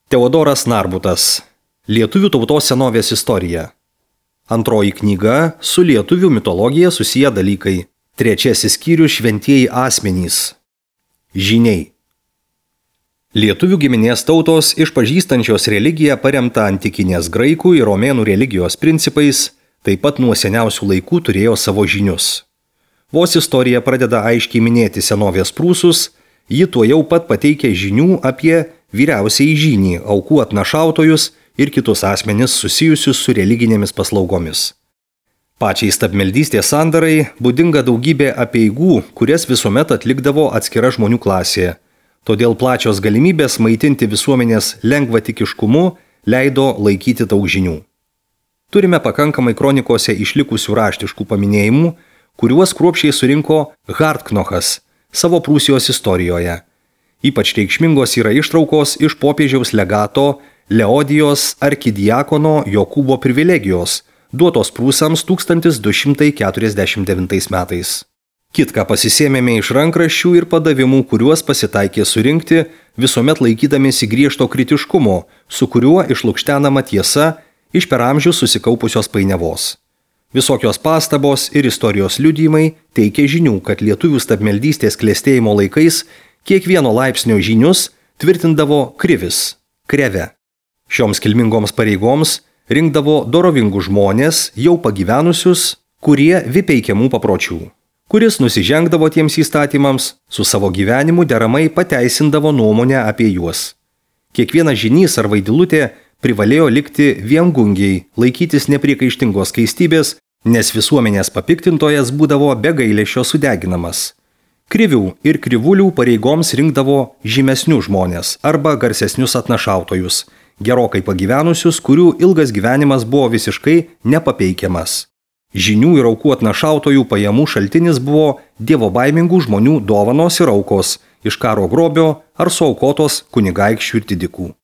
Teodoras Narbutas. Lietuvių tautos senovės istorija. Antroji knyga su lietuvių mitologija susiję dalykai. Trečiasis skyrius šventieji asmenys. Žyniai. Lietuvių giminės tautos išpažįstančios religiją paremtą antikinės graikų ir romėnų religijos principais, taip pat nuo seniausių laikų turėjo savo žynius. Vos istorija pradeda aiškiai minėti senovės prūsus, ji tuojau pat pateikia žinių apie vyriausiąjį žynį, aukų atnašautojus ir kitus asmenis susijusius su religinėmis paslaugomis. Pačiai stabmeldystės sandarai būdinga daugybė apeigų, kurias visuomet atlikdavo atskira žmonių klasė. Todėl plačios galimybės maitinti visuomenės lengvatikiškumu leido laikyti daug žinių. Turime pakankamai kronikose išlikusių raštiškų paminėjimų, kuriuos kruopščiai surinko Hardknochas savo Prūsijos istorijoje. Ypač reikšmingos yra ištraukos iš popiežiaus legato Leodijos arkidiakono Jokūbo privilegijos, duotos prūsams 1249 metais. Kitką pasisėmėme iš rankraščių ir padavimų, kuriuos pasitaikė surinkti, visuomet laikydamiesi griežto kritiškumo, su kuriuo išlukštenama tiesa iš per amžius susikaupusios painiavos. Visokios pastabos ir istorijos liudijimai teikia žinių, kad lietuvių stabmeldystės klestėjimo laikais kiekvieno laipsnio žynius tvirtindavo krivis, kreve. Šioms kilmingoms pareigoms rinkdavo dorovingų žmonės, jau pagyvenusius, kurie vipeikiamų papročių. Kuris nusižengdavo tiems įstatymams, su savo gyvenimu deramai pateisindavo nuomonę apie juos. Kiekvienas žynys ar vaidilutė privalėjo likti viengungiai, laikytis nepriekaištingos skaistybės, nes visuomenės papiktintojas būdavo be gailesčio sudeginamas. Krivių ir krivulių pareigoms rinkdavo žymesnių žmonės arba garsesnius atnašautojus, gerokai pagyvenusius, kurių ilgas gyvenimas buvo visiškai nepapeikiamas. Žynių ir aukų atnašautojų pajamų šaltinis buvo dievobaimingų žmonių dovanos ir aukos iš karo grobio ar suaukotos kunigaikščių ir didikų.